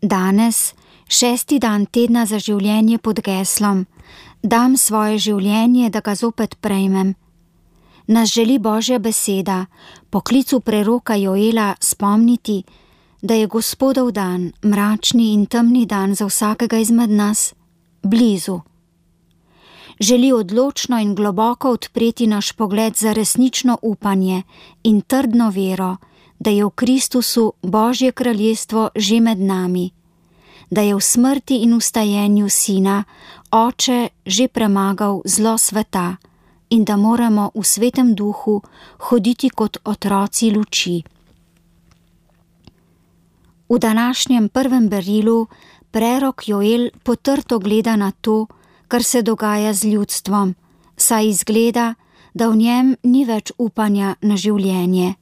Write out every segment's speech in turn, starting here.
Danes, 6. dan tedna za življenje pod geslom Dam svoje življenje, da ga zopet prejmem, nas želi Božja beseda po klicu preroka Joela spomniti, da je Gospodov dan, mračni in temni dan za vsakega izmed nas, blizu. Želi odločno in globoko odpreti naš pogled za resnično upanje in trdno vero, da je v Kristusu Božje kraljestvo že med nami, da je v smrti in vstajenju Sina Oče že premagal zlo sveta in da moramo v Svetem Duhu hoditi kot otroci luči. V današnjem prvem berilu prerok Joel potrto gleda na to, kar se dogaja z ljudstvom, saj izgleda, da v njem ni več upanja na življenje.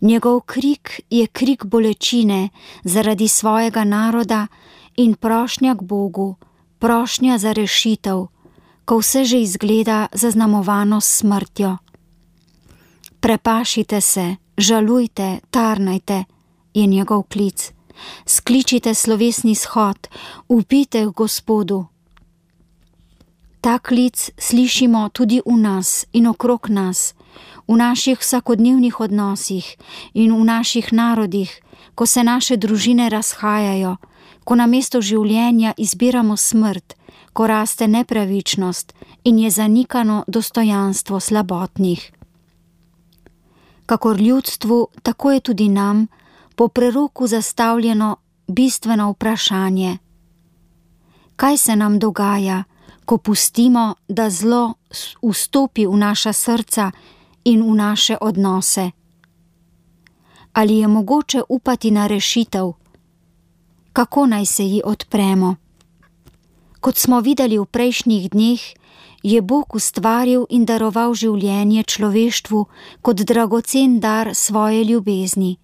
Njegov krik je krik bolečine zaradi svojega naroda in prošnja k Bogu, prošnja za rešitev, ko vse že izgleda zaznamovano s smrtjo. Prepašite se, žalujte, tarnajte, je njegov klic. Skličite slovesni shod, vpijte k Gospodu. Ta klic slišimo tudi v nas in okrog nas, v naših vsakodnevnih odnosih in v naših narodih, ko se naše družine razhajajo, ko namesto življenja izbiramo smrt, ko raste nepravičnost in je zanikano dostojanstvo slabotnih. Kakor ljudstvu, tako je tudi nam po preroku zastavljeno bistveno vprašanje. Kaj se nam dogaja, ko pustimo, da zlo vstopi v naša srca in v naše odnose? Ali je mogoče upati na rešitev? Kako naj se ji odpremo? Kot smo videli v prejšnjih dneh, je Bog ustvaril in daroval življenje človeštvu kot dragocen dar svoje ljubezni.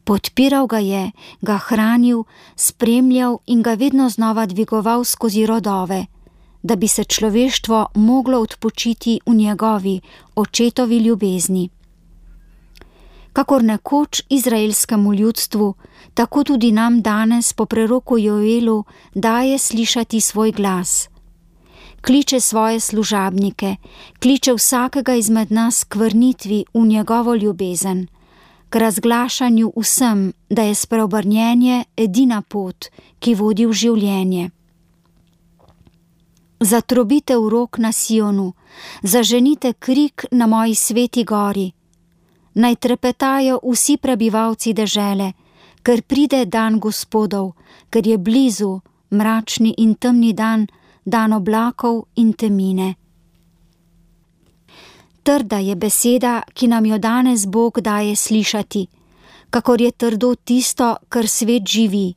Podpiral ga je, ga hranil, spremljal in ga vedno znova dvigoval skozi rodove, da bi se človeštvo moglo odpočiti v njegovi, očetovi ljubezni. Kakor nekoč izraelskemu ljudstvu, tako tudi nam danes po preroku Joelu daje slišati svoj glas. Kliče svoje služabnike, kliče vsakega izmed nas k vrnitvi v njegovo ljubezen, k razglašanju vsem, da je spreobrnjenje edina pot, ki vodi v življenje. Zatrobite v rog na Sionu, zaženite krik na moji sveti gori. Naj trepetajo vsi prebivalci dežele, ker pride dan Gospodov, ker je blizu mračni in temni dan, dan oblakov in temine. Trda je beseda, ki nam jo danes Bog daje slišati, kakor je trdo tisto, kar svet živi.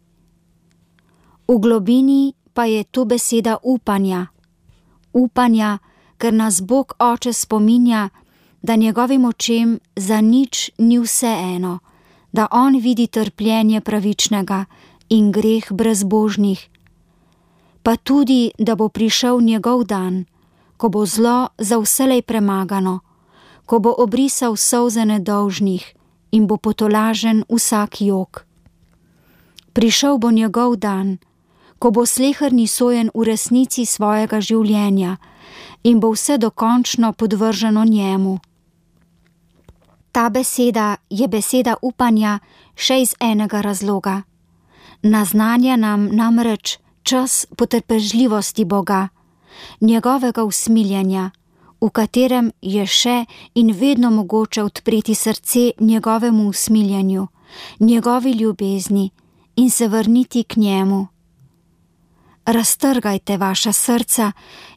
V globini pa je to beseda upanja. Upanja, ker nas Bog Oče spominja, da njegovim očem za nič ni vseeno, da on vidi trpljenje pravičnega in greh brezbožnih, pa tudi, da bo prišel njegov dan, ko bo zlo za vselej premagano, ko bo obrisal solze nedolžnih in bo potolažen vsak jok. Prišel bo njegov dan, ko bo sleherni sojen v resnici svojega življenja in bo vse dokončno podvrženo njemu. Ta beseda je beseda upanja še iz enega razloga. Naznanja nam namreč čas potrpežljivosti Boga, njegovega usmiljenja, v katerem je še in vedno mogoče odpreti srce njegovemu usmiljenju, njegovi ljubezni in se vrniti k njemu. Raztrgajte vaša srca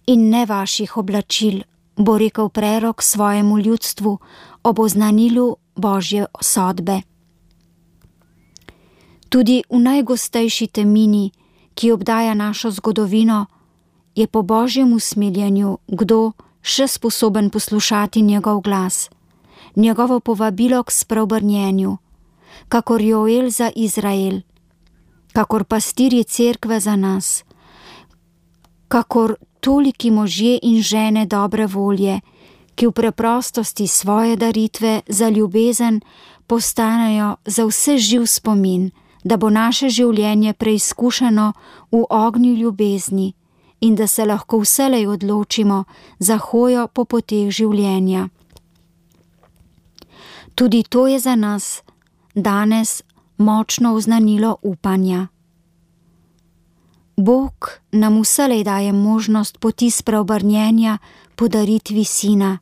in ne vaših oblačil, bo rekel prerok svojemu ljudstvu ob oznanilu Božje sodbe. Tudi v najgostejši temini, ki obdaja našo zgodovino, je po Božjem usmiljenju kdo še sposoben poslušati njegov glas, njegovo povabilo k spreobrnjenju, kakor Joel za Izrael, kakor pastirji cerkve za nas, kakor toliki možje in žene dobre volje, ki v preprostosti svoje daritve za ljubezen postanejo za vse živ spomin da bo naše življenje preizkušeno v ognju ljubezni in da se lahko vselej odločimo za hojo po poteh življenja. Tudi to je za nas danes močno oznanilo upanja. Bog nam vselej daje možnost poti spreobrnjenja po daritvi Sina.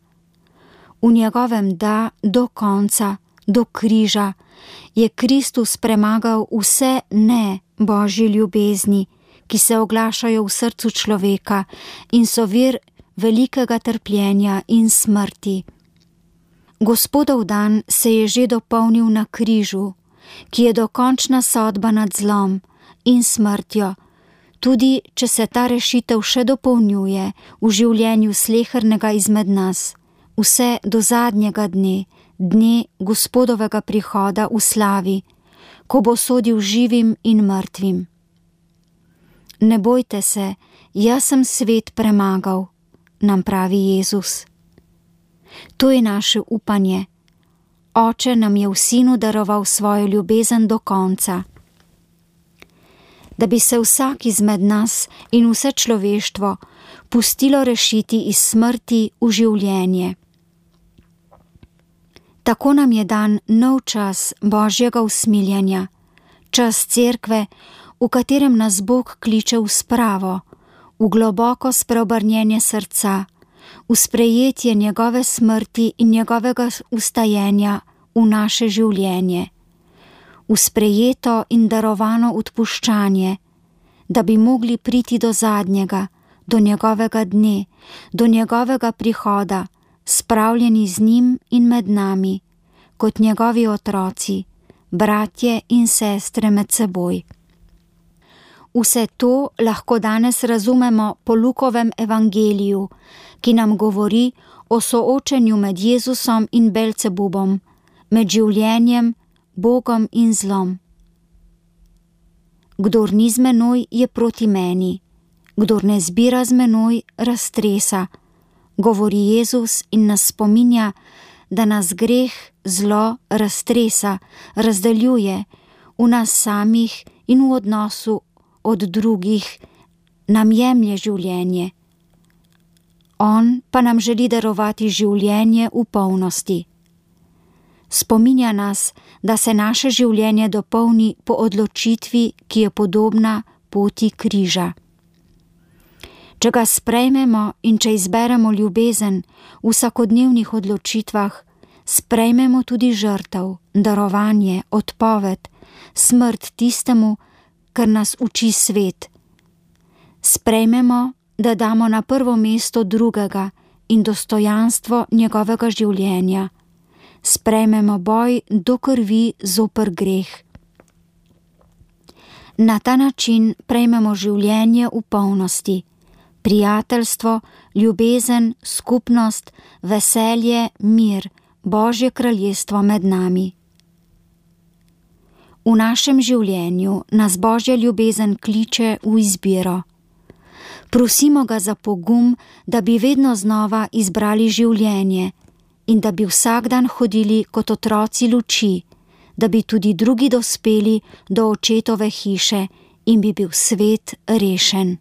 V njegovem da do konca, do križa, je Kristus premagal vse ne Božje ljubezni, ki se oglašajo v srcu človeka in so vir velikega trpljenja in smrti. Gospodov dan se je že dopolnil na križu, ki je dokončna sodba nad zlom in smrtjo, tudi če se ta rešitev še dopolnjuje v življenju slehernega izmed nas, vse do zadnjega dne, dne Gospodovega prihoda v slavi, ko bo sodil živim in mrtvim. Ne bojte se, jaz sem svet premagal, nam pravi Jezus. To je naše upanje. Oče nam je v Sinu daroval svojo ljubezen do konca. Da bi se vsak izmed nas in vse človeštvo pustilo rešiti iz smrti v življenje. Tako nam je dan nov čas Božjega usmiljenja, čas cerkve, v katerem nas Bog kliče v spravo, v globoko spreobrnjenje srca, v sprejetje njegove smrti in njegovega vstajenja v naše življenje, v sprejeto in darovano odpuščanje, da bi mogli priti do zadnjega, do njegovega dne, do njegovega prihoda, spravljeni z njim in med nami, kot njegovi otroci, bratje in sestre med seboj. Vse to lahko danes razumemo po Lukovem evangeliju, ki nam govori o soočenju med Jezusom in Belcebubom, med življenjem, Bogom in zlom. Kdor ni z menoj, je proti meni, kdor ne zbira z menoj, raztresa, govori Jezus in nas spominja, da nas greh, zlo raztresa, razdaljuje v nas samih in v odnosu od drugih, nam jemlje življenje. On pa nam želi darovati življenje v polnosti. Spominja nas, da se naše življenje dopolni po odločitvi, ki je podobna poti križa. Če ga sprejmemo in če izberemo ljubezen v vsakodnevnih odločitvah, sprejmemo tudi žrtev, darovanje, odpoved, smrt tistemu, kar nas uči svet. Sprejmemo, da damo na prvo mesto drugega in dostojanstvo njegovega življenja. Sprejmemo boj do krvi zoper greh. Na ta način prejmemo življenje v polnosti, prijateljstvo, ljubezen, skupnost, veselje, mir, Božje kraljestvo med nami. V našem življenju nas Božja ljubezen kliče v izbiro. Prosimo ga za pogum, da bi vedno znova izbrali življenje in da bi vsak dan hodili kot otroci luči, da bi tudi drugi dospeli do očetove hiše in bi bil svet rešen.